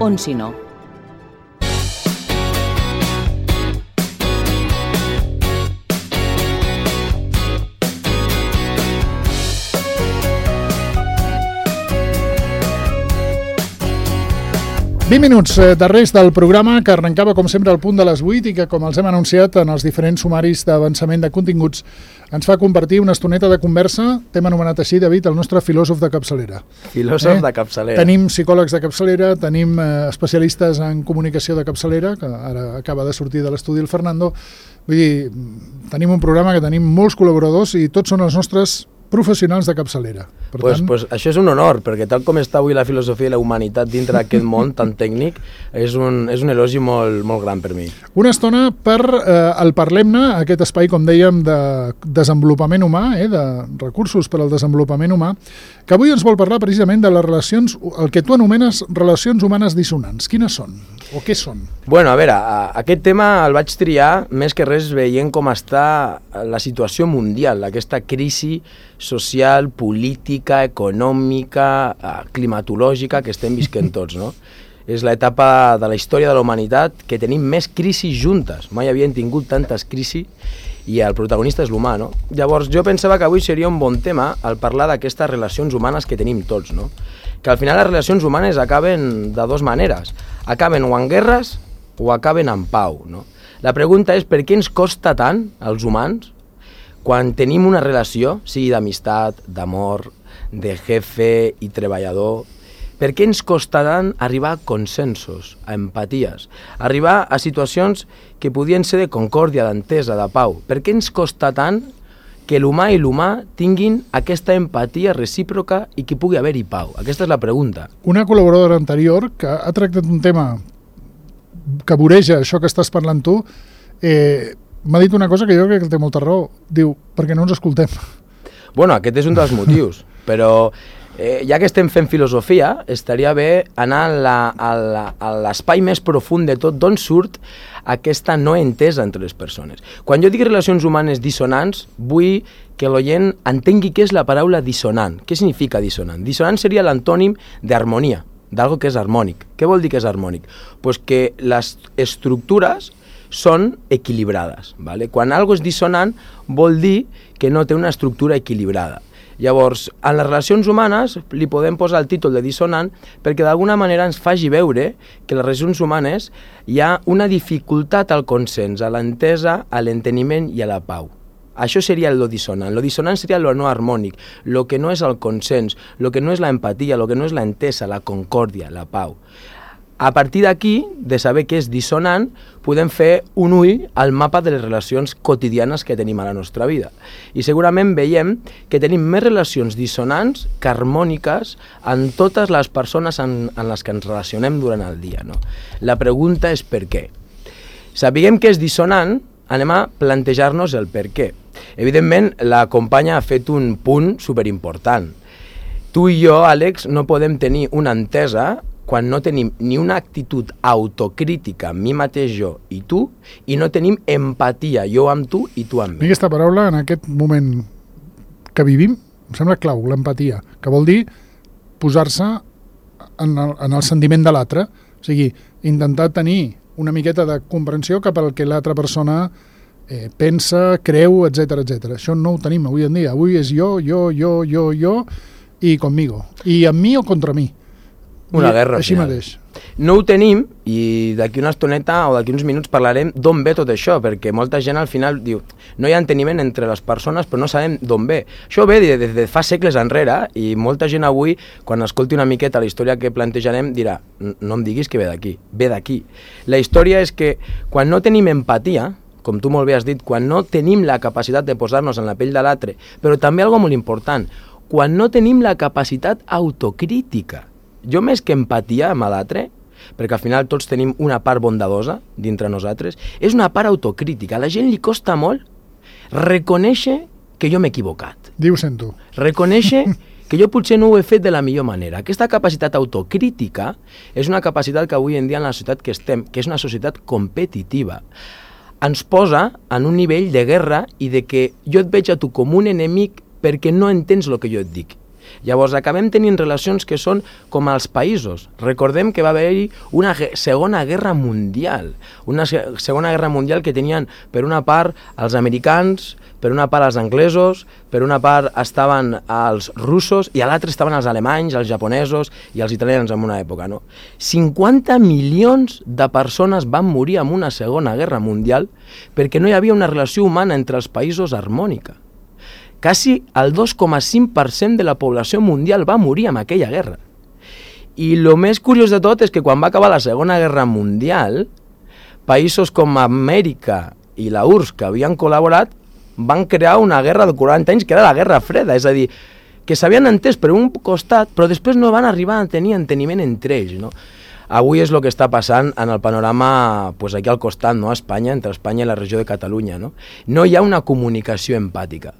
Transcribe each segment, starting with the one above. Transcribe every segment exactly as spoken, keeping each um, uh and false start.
On si no. vint minuts darrers del programa, que arrencava com sempre al punt de les vuit i que, com els hem anunciat en els diferents sumaris d'avançament de continguts, ens fa compartir una estoneta de conversa. T'hem anomenat així, David, el nostre filòsof de capçalera. Filòsof eh? de capçalera. Tenim psicòlegs de capçalera, tenim eh, especialistes en comunicació de capçalera, que ara acaba de sortir de l'estudi el Fernando. Vull dir, tenim un programa que tenim molts col·laboradors i tots són els nostres professionals de capçalera. Per pues, tant... pues això és un honor, perquè tal com està avui la filosofia i la humanitat dintre d'aquest món tan tècnic, és un, és un elogi molt, molt gran per mi. Una estona per eh, el Parlem-ne, aquest espai, com dèiem, de desenvolupament humà, eh, de recursos per al desenvolupament humà, que avui ens vol parlar precisament de les relacions, el que tu anomenes relacions humanes dissonants. Quines són? O què són? Bueno, a veure, aquest tema el vaig triar més que res veient com està la situació mundial, aquesta crisi social, política, econòmica, climatològica que estem visquent tots, no? És l'etapa de la història de la humanitat que tenim més crisis juntes. Mai havien tingut tantes crisis i el protagonista és l'humà, no? Llavors jo pensava que avui seria un bon tema al parlar d'aquestes relacions humanes que tenim tots, no? Que al final les relacions humanes acaben de dues maneres. Acaben o en guerres o acaben en pau, no? La pregunta és per què ens costa tant, als humans, quan tenim una relació, sigui d'amistat, d'amor, de jefe i treballador, per què ens costa tant arribar a consensos, a empaties, arribar a situacions que podien ser de concòrdia, d'entesa, de pau? Per què ens costa tant que l'humà i l'humà tinguin aquesta empatia recíproca i que pugui haver-hi pau? Aquesta és la pregunta. Una col·laboradora anterior que ha tractat un tema que voreja això que estàs parlant tu, eh, m'ha dit una cosa que jo crec que té molta raó. Diu, perquè no ens escoltem. Bueno, aquest és un dels motius, però eh, ja que estem fent filosofia, estaria bé anar a l'espai més profund de tot, d'on surt aquesta no entesa entre les persones. Quan jo dic relacions humanes dissonants, vull que l'oient entengui què és la paraula dissonant. Què significa dissonant? Dissonant seria l'antònim d'harmonia, d'algo que és harmònic. Què vol dir que és harmònic? Pues que les estructures són equilibrades. ¿Vale? Quan algo és dissonant vol dir que no té una estructura equilibrada. Llavors, en les relacions humanes li podem posar el títol de dissonant perquè d'alguna manera ens faci veure que en les relacions humanes hi ha una dificultat al consens, a l'entesa, a l'enteniment i a la pau. Això seria lo dissonant. Lo dissonant seria lo no harmònic, lo que no és el consens, lo que no és la empatia, lo que no és la entesa, la concòrdia, la pau. A partir d'aquí, de saber què és dissonant, podem fer un ull al mapa de les relacions quotidianes que tenim a la nostra vida. I segurament veiem que tenim més relacions dissonants que harmòniques en totes les persones en, en les que ens relacionem durant el dia, no? La pregunta és per què. Sapiguem que és dissonant, anem a plantejar-nos el per què. Evidentment, la companya ha fet un punt superimportant. Tu i jo, Àlex, no podem tenir una entesa quan no tenim ni una actitud autocrítica, mi mateix jo i tu, i no tenim empatia, jo amb tu i tu amb mi. Aquesta paraula, en aquest moment que vivim, em sembla clau, l'empatia, que vol dir posar-se en el, en el sentiment de l'altre, o sigui, intentar tenir una miqueta de comprensió cap al que l'altra persona eh, pensa, creu, etcètera, etcètera. Això no ho tenim avui en dia. Avui és jo, jo, jo, jo, jo i conmigo. I amb mi o contra mi. Una guerra, així final. mateix. No ho tenim i d'aquí una estoneta o d'aquí uns minuts parlarem d'on ve tot això, perquè molta gent al final diu no hi ha enteniment entre les persones però no sabem d'on ve. Això ve des de, de fa segles enrere i molta gent avui, quan escolti una miqueta la història que plantejarem, dirà no em diguis que ve d'aquí, ve d'aquí. La història és que quan no tenim empatia, com tu molt bé has dit, quan no tenim la capacitat de posar-nos en la pell de l'altre, però també algo molt important, quan no tenim la capacitat autocrítica. Jo més que empatia amb l'altre, perquè al final tots tenim una part bondadosa dintre nosaltres, és una part autocrítica. A la gent li costa molt reconèixer que jo m'he equivocat. Diu sento. Reconèixer que jo potser no ho he fet de la millor manera. Aquesta capacitat autocrítica és una capacitat que avui en dia en la societat que estem, que és una societat competitiva, ens posa en un nivell de guerra i de que jo et veig a tu com un enemic perquè no entens el que jo et dic. Llavors acabem tenint relacions que són com els països. Recordem que va haver-hi una segona guerra mundial, una segona guerra mundial que tenien per una part els americans, per una part els anglesos, per una part estaven els russos i a l'altra estaven els alemanys, els japonesos i els italians en una època, no? cinquanta milions de persones van morir en una segona guerra mundial perquè no hi havia una relació humana entre els països harmònica. Quasi el dos coma cinc per cent de la població mundial va morir en aquella guerra. I el més curiós de tot és que quan va acabar la Segona Guerra Mundial, països com Amèrica i la U R S S que havien col·laborat van crear una guerra de quaranta anys que era la Guerra Freda, és a dir, que s'havien entès per un costat, però després no van arribar a tenir enteniment entre ells, no? Avui és el que està passant en el panorama pues, aquí al costat, no? A Espanya, entre Espanya i la regió de Catalunya, no? No hi ha una comunicació empàtica.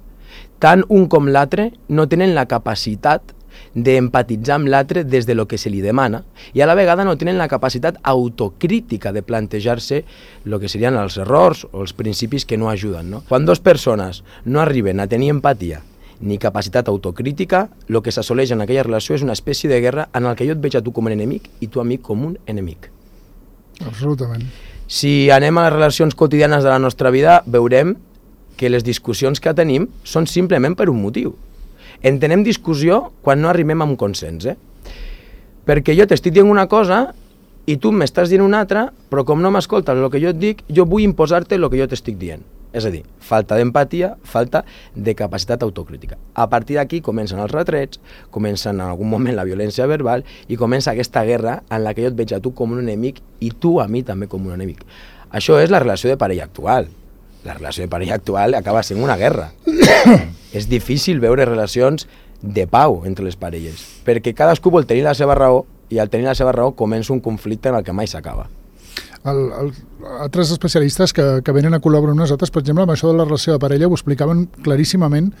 Tant un com l'altre no tenen la capacitat d'empatitzar amb l'altre des de lo que se li demana i a la vegada no tenen la capacitat autocrítica de plantejar-se el que serien els errors o els principis que no ajuden, no? Quan dues persones no arriben a tenir empatia ni capacitat autocrítica, el que s'assoleix en aquella relació és una espècie de guerra en el que jo et veig a tu com un enemic i tu a mi com un enemic. Absolutament. Si anem a les relacions quotidianes de la nostra vida, veurem que les discussions que tenim són simplement per un motiu. Entenem discussió quan no arribem a un consens, eh? Perquè jo t'estic dient una cosa i tu m'estàs dient una altra, però com no m'escoltes el que jo et dic, jo vull imposar-te el que jo t'estic dient. És a dir, falta d'empatia, falta de capacitat autocrítica. A partir d'aquí comencen els retrets, comencen en algun moment la violència verbal i comença aquesta guerra en la que jo et veig a tu com un enemic i tu a mi també com un enemic. Això és la relació de parella actual. La relació de parella actual acaba sent una guerra. És difícil veure relacions de pau entre les parelles, perquè cadascú vol tenir la seva raó i al tenir la seva raó comença un conflicte en el que mai s'acaba. El, el, altres especialistes que, que venen a col·laborar amb nosaltres, per exemple, amb això de la relació de parella, ho explicaven claríssimament,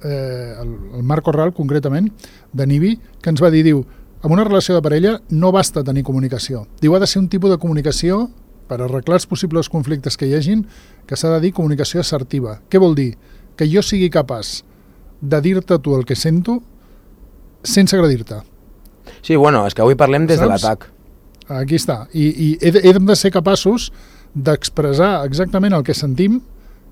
eh, el, el Marc Corral, concretament, de Nibi, que ens va dir, diu, en una relació de parella no basta tenir comunicació. Diu, ha de ser un tipus de comunicació per arreglar els possibles conflictes que hi hagin, que s'ha de dir comunicació assertiva. Què vol dir? Que jo sigui capaç de dir-te tu el que sento sense agredir-te. Sí, bueno, és que avui parlem des Saps? de l'atac. Aquí està. I, i he, de, he de ser capaços d'expressar exactament el que sentim,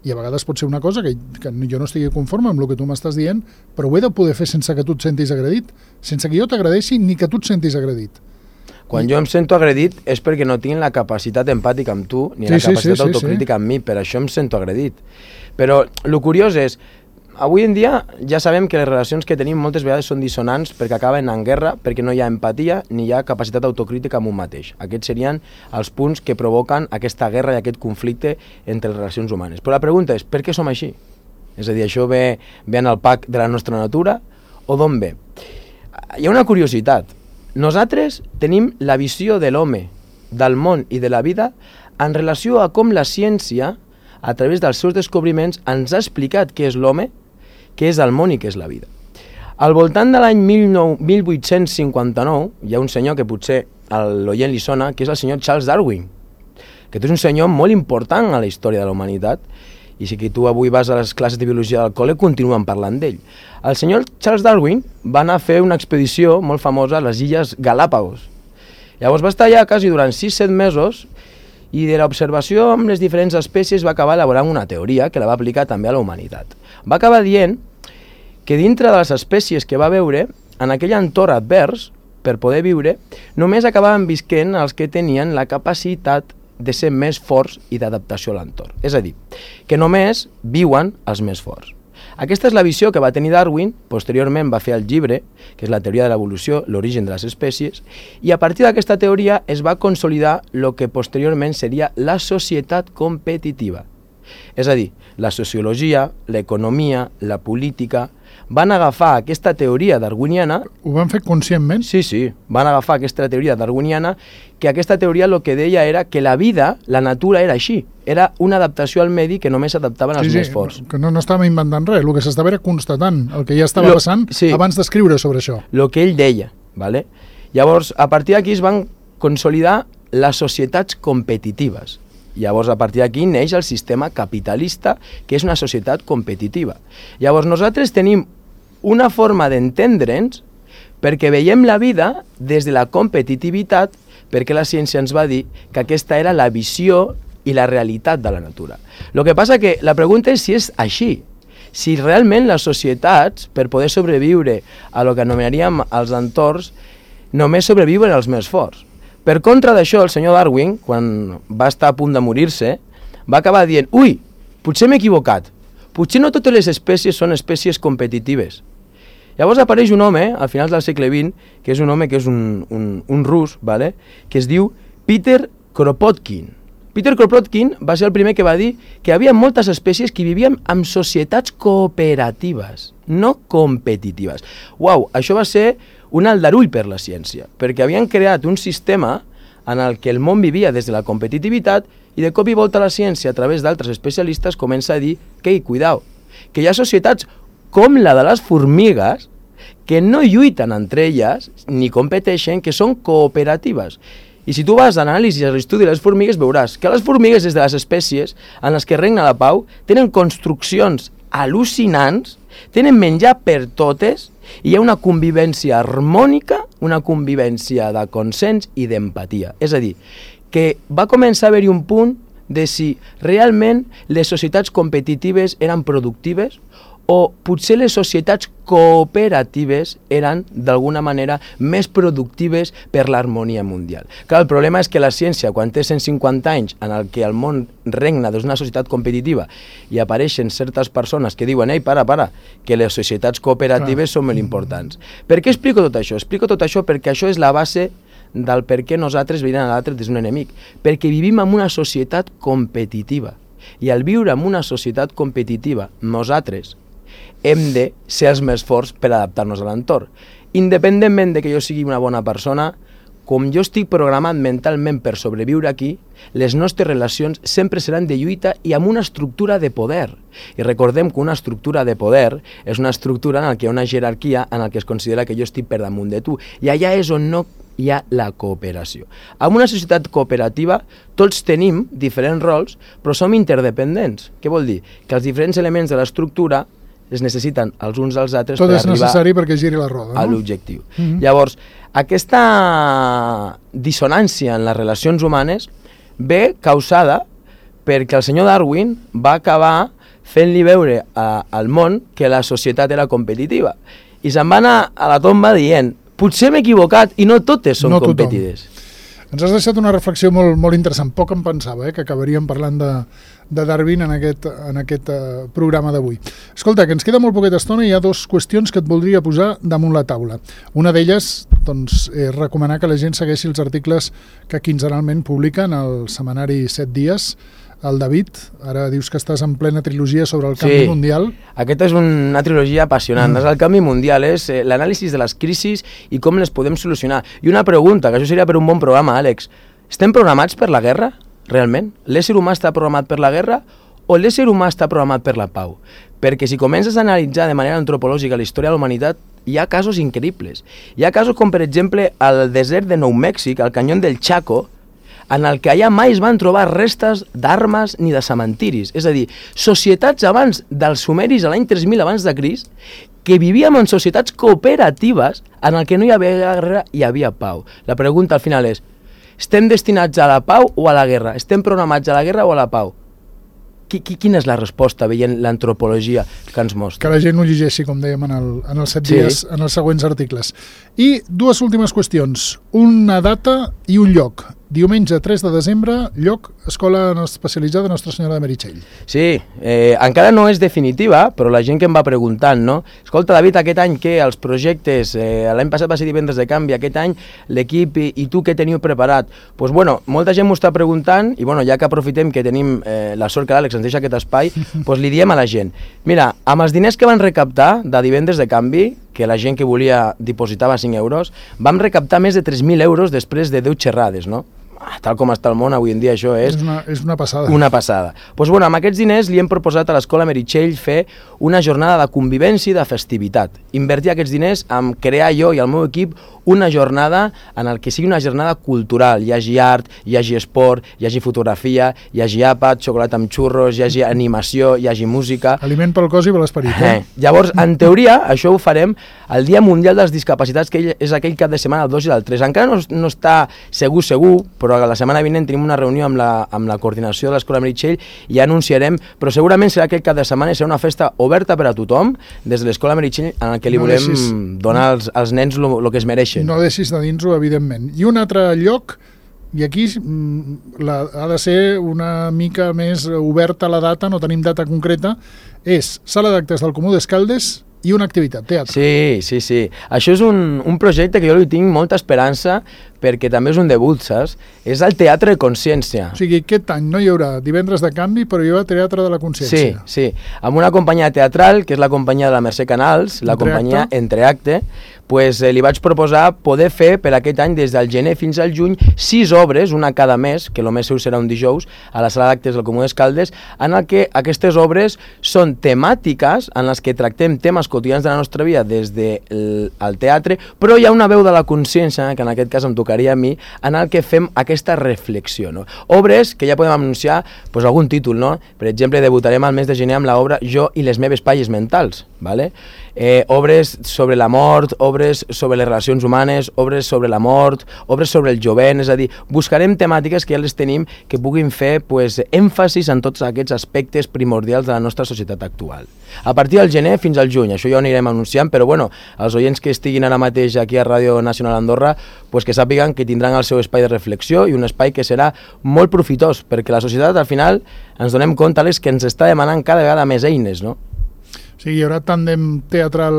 i a vegades pot ser una cosa que, que jo no estigui conforme amb el que tu m'estàs dient, però ho he de poder fer sense que tu et sentis agredit, sense que jo t'agredeixi ni que tu et sentis agredit. Quan jo em sento agredit és perquè no tinc la capacitat empàtica amb tu ni Sí, la sí, capacitat sí, sí, autocrítica amb mi, per això em sento agredit. Però el curiós és, avui en dia ja sabem que les relacions que tenim moltes vegades són dissonants perquè acaben en guerra, perquè no hi ha empatia ni hi ha capacitat autocrítica amb un mateix. Aquests serien els punts que provoquen aquesta guerra i aquest conflicte entre les relacions humanes. Però la pregunta és, per què som així? És a dir, això ve, ve en el pack de la nostra natura o d'on ve? Hi ha una curiositat. Nosaltres tenim la visió de l'home, del món i de la vida en relació a com la ciència, a través dels seus descobriments, ens ha explicat què és l'home, què és el món i què és la vida. Al voltant de l'any mil vuit-cents cinquanta-nou hi ha un senyor que potser a l'oient li sona, que és el senyor Charles Darwin, que és un senyor molt important a la història de la humanitat, i si que tu avui vas a les classes de biologia del col·le, continuen parlant d'ell. El senyor Charles Darwin va anar a fer una expedició molt famosa a les illes Galápagos. Llavors va estar allà quasi durant sis set mesos i de l'observació amb les diferents espècies va acabar elaborant una teoria que la va aplicar també a la humanitat. Va acabar dient que dintre de les espècies que va veure, en aquell entorn advers, per poder viure, només acabaven visquent els que tenien la capacitat de ser més forts i d'adaptació a l'entorn. És a dir, que només viuen els més forts. Aquesta és la visió que va tenir Darwin, posteriorment va fer el llibre, que és la teoria de l'evolució, l'origen de les espècies, i a partir d'aquesta teoria es va consolidar el que posteriorment seria la societat competitiva. És a dir, la sociologia, l'economia, la política, van agafar aquesta teoria darwiniana... Ho van fer conscientment? Sí, sí, van agafar aquesta teoria darwiniana, que aquesta teoria el que deia era que la vida, la natura era així, era una adaptació al medi que només s'adaptaven als sí, més sí, forts. Que no, no estàvem inventant res, el que s'estava era constatant el que ja estava lo, passant sí, abans d'escriure sobre això. El que ell deia, ¿vale? Llavors, a partir d'aquí es van consolidar les societats competitives. Llavors, a partir d'aquí neix el sistema capitalista, que és una societat competitiva. Llavors, nosaltres tenim una forma d'entendre'ns perquè veiem la vida des de la competitivitat, perquè la ciència ens va dir que aquesta era la visió i la realitat de la natura. El que passa que la pregunta és si és així, si realment les societats, per poder sobreviure a lo que anomenaríem els entorns, només sobreviuen els més forts. Per contra d'això, el senyor Darwin, quan va estar a punt de morir-se, va acabar dient, ui, potser m'he equivocat, potser no totes les espècies són espècies competitives. Llavors apareix un home, al final del segle vint, que és un home que és un, un, un rus, vale? Que es diu Peter Kropotkin. Peter Kropotkin va ser el primer que va dir que hi havia moltes espècies que vivien en societats cooperatives, no competitives. Uau, això va ser un aldarull per la ciència, perquè havien creat un sistema en el que el món vivia des de la competitivitat i de cop i volta la ciència, a través d'altres especialistes, comença a dir que, cuidao, que hi ha societats com la de les formigues que no lluiten entre elles ni competeixen, que són cooperatives. I si tu vas a l'anàlisi, a l'estudi de les formigues, veuràs que les formigues és de les espècies en les que regna la pau, tenen construccions al·lucinants, tenen menjar per totes i hi ha una convivència harmònica, una convivència de consens i d'empatia. És a dir, que va començar a haver-hi un punt de si realment les societats competitives eren productives o potser les societats cooperatives eren, d'alguna manera, més productives per l'harmonia mundial. Clar, el problema és que la ciència, quan té cent cinquanta anys en el que el món regna d'una societat competitiva i apareixen certes persones que diuen «Ei, para, para, que les societats cooperatives són molt importants». Per què explico tot això? Explico tot això perquè això és la base del per què nosaltres veiem a l'altre des d'un enemic. Perquè vivim en una societat competitiva. I al viure en una societat competitiva, nosaltres hem de ser els més forts per adaptar-nos a l'entorn. Independentment de que jo sigui una bona persona, com jo estic programat mentalment per sobreviure aquí, les nostres relacions sempre seran de lluita i amb una estructura de poder. I recordem que una estructura de poder és una estructura en la que hi ha una jerarquia en la que es considera que jo estic per damunt de tu. I allà és on no hi ha la cooperació. En una societat cooperativa tots tenim diferents rols, però som interdependents. Què vol dir? Que els diferents elements de l'estructura es necessiten els uns als altres Tot per és arribar necessari perquè giri la roda, a no? l'objectiu. Mm-hmm. Llavors, aquesta dissonància en les relacions humanes ve causada perquè el senyor Darwin va acabar fent-li veure a, al món que la societat era competitiva. I se'n va anar a la tomba dient potser m'he equivocat i no totes són No tothom. competitives. Ens has deixat una reflexió molt, molt interessant. Poc em pensava eh, que acabaríem parlant de, de Darwin en aquest, en aquest uh, programa d'avui. Escolta, que ens queda molt poqueta estona i hi ha dues qüestions que et voldria posar damunt la taula. Una d'elles, doncs, és recomanar que la gent segueixi els articles que quinzenalment publiquen al setmanari set dies. El David, ara dius que estàs en plena trilogia sobre el canvi Sí. mundial. Aquesta és una trilogia apassionant. Mm. El canvi mundial és eh, l'anàlisi de les crisis i com les podem solucionar. I una pregunta, que això seria per un bon programa, Àlex. Estem programats per la guerra, realment? L'ésser humà està programat per la guerra o l'ésser humà està programat per la pau? Perquè si comences a analitzar de manera antropològica la història de la humanitat, hi ha casos increïbles. Hi ha casos com, per exemple, al desert de Nou Mèxic, al canyó del Chaco, en el que allà mai es van trobar restes d'armes ni de cementiris. És a dir, societats abans dels sumeris a l'any tres mil abans de Crist, que vivíem en societats cooperatives en el que no hi havia guerra i hi havia pau. La pregunta al final és, estem destinats a la pau o a la guerra? Estem programats a la guerra o a la pau? Quina és la resposta veient l'antropologia que ens mostra? Que la gent ho llegeixi, com dèiem, en, el, en els set Sí. dies, en els següents articles. I dues últimes qüestions. Una data i un lloc. Diumenge tres de desembre, lloc, Escola Especialitzada Nostra Senyora de Meritxell. Sí, eh, encara no és definitiva, però la gent que em va preguntant, no? Escolta, David, aquest any què? Els projectes, eh, l'any passat va ser Divendres de Canvi, aquest any l'equip i, i tu què teniu preparat? Doncs pues, bueno, molta gent m'ho està preguntant i bueno, ja que aprofitem que tenim eh, la sort que l'Àlex ens deixa aquest espai, pues, li diem a la gent. Mira, amb els diners que van recaptar de Divendres de Canvi, que la gent que volia dipositava cinc euros, vam recaptar més de tres mil euros després de deu xerrades, no? tal com està el món avui en dia, això és... És una, és una passada. Una passada. Doncs bueno, amb aquests diners li hem proposat a l'Escola Meritxell fer una jornada de convivència i de festivitat. Invertir aquests diners en crear jo i el meu equip una jornada en el que sigui una jornada cultural. Hi hagi art, hi hagi esport, hi hagi fotografia, hi hagi àpat, xocolata amb xurros, hi hagi animació, hi hagi música... Aliment pel cos i per l'esperit. Eh? Eh. Llavors, en teoria, això ho farem el Dia Mundial de les Discapacitats, que és aquell cap de setmana, el dos i el tres. Encara no, no està segur, segur, però la setmana vinent tenim una reunió amb la, amb la coordinació de l'Escola Meritxell i ja anunciarem, però segurament serà aquest cap de setmana i serà una festa oberta per a tothom des de l'Escola Meritxell en què li No volem deixis... donar als, als nens el que es mereixen. No deixis de dins-ho, evidentment. I un altre lloc, i aquí la, ha de ser una mica més oberta la data, no tenim data concreta, és Sala d'Actes del Comú d'Escaldes i una activitat, teatre. Sí, sí, sí. Això és un, un projecte que jo li tinc molta esperança perquè també és un debut, saps? És el Teatre de Consciència. O sigui, aquest any no hi haurà divendres de canvi, però hi haurà Teatre de la Consciència. Sí, sí. Amb una companyia teatral, que és la companyia de la Mercè Canals, la Entreacte. companyia Entreacte, pues, eh, li vaig proposar poder fer per aquest any, des del gener fins al juny, sis obres, una cada mes, que el més segur serà un dijous, a la Sala d'Actes del Comú d'Escaldes, en el que aquestes obres són temàtiques en les que tractem temes quotidians de la nostra vida des del teatre, però hi ha una veu de la consciència, que en aquest cas em tocaria a mi, en el que fem aquesta reflexió. No? Obres que ja podem anunciar pues, algun títol, no? Per exemple, debutarem al mes de gener amb l'obra Jo i les meves palles mentals, ¿vale? Eh, obres sobre la mort, obres sobre les relacions humanes, obres sobre la mort, obres sobre el jovent, és a dir, buscarem temàtiques que ja les tenim que puguin fer pues, èmfasis en tots aquests aspectes primordials de la nostra societat actual. A partir del gener fins al juny, això ja ho anirem anunciant, però bueno, els oients que estiguin ara mateix aquí a Ràdio Nacional Andorra, pues que sàpiguen que tindran el seu espai de reflexió i un espai que serà molt profitós, perquè la societat al final ens donem compte Alex, que ens està demanant cada vegada més eines, no? Sí, hi haurà tàndem teatral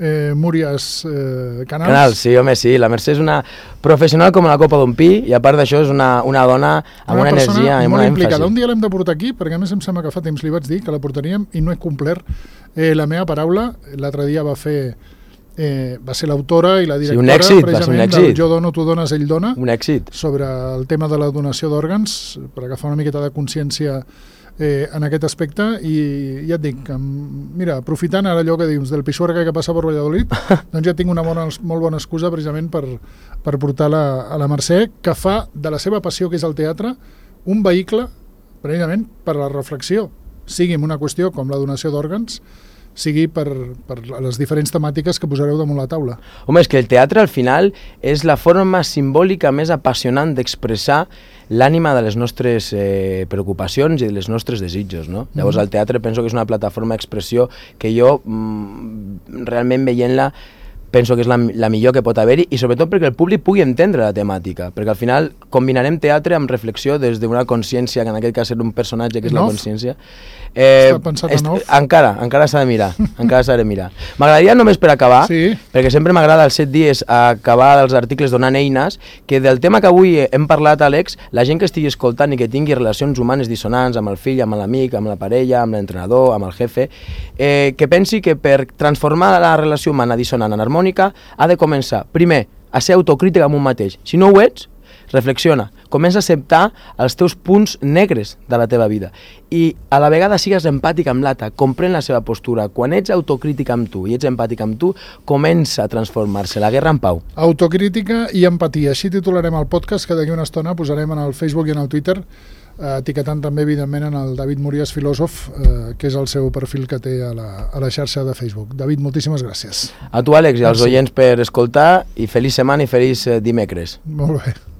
eh, Múries eh, Canals. Canals, sí, home, sí. La Mercè és una professional com la copa d'un pi i a part d'això és una, una dona amb una, una energia i una èmfasi. Un dia l'hem de portar aquí, perquè a més em sembla que fa temps li vaig dir que la portaríem i no he complert eh, la meva paraula. L'altre dia va fer... Eh, va ser l'autora i la directora, sí, un èxit, precisament, va ser un èxit. del Jo dono, tu dones, ell dona. Un èxit. Sobre el tema de la donació d'òrgans, per agafar una miqueta de consciència eh, en aquest aspecte, i ja et dic, mira, aprofitant ara allò que dius del Pisuerga que passa per Valladolid, doncs ja tinc una bona, molt bona excusa precisament per, per portar la, a la Mercè, que fa de la seva passió, que és el teatre, un vehicle precisament per a la reflexió, sigui en una qüestió com la donació d'òrgans, sigui per, per les diferents temàtiques que posareu damunt la taula. Home, és que el teatre al final és la forma simbòlica més apassionant d'expressar l'ànima de les nostres eh, preocupacions i de les nostres desitjos, no? Mm-hmm. Llavors el teatre penso que és una plataforma d'expressió que jo mm, realment veient-la penso que és la, la millor que pot haver-hi i sobretot perquè el públic pugui entendre la temàtica, perquè al final combinarem teatre amb reflexió des d'una consciència, que en aquest cas és un personatge que és la consciència. Eh, Està pensat en off? Encara, encara s'ha de mirar, encara s'ha de mirar. M'agradaria només per acabar, sí. perquè sempre m'agrada els set dies acabar els articles donant eines, que del tema que avui hem parlat, Àlex, la gent que estigui escoltant i que tingui relacions humanes dissonants amb el fill, amb l'amic, amb la parella, amb l'entrenador, amb el jefe, eh, que pensi que per transformar la relació humana dissonant en harmònica ha de començar, primer, a ser autocrítica amb un mateix. Si no ho ets, reflexiona, comença a acceptar els teus punts negres de la teva vida i a la vegada sigues empàtic amb l'altre, comprèn la seva postura. Quan ets autocrític amb tu i ets empàtic amb tu, comença a transformar-se la guerra en pau. Autocrítica i empatia, així titularem el podcast, que d'aquí una estona posarem en el Facebook i en el Twitter, eh, etiquetant també evidentment en el David Múries Filòsof, eh, que és el seu perfil que té a la, a la xarxa de Facebook. David, moltíssimes gràcies. A tu, Àlex, i als oients per escoltar, i feliç setmana i feliç dimecres. Molt bé.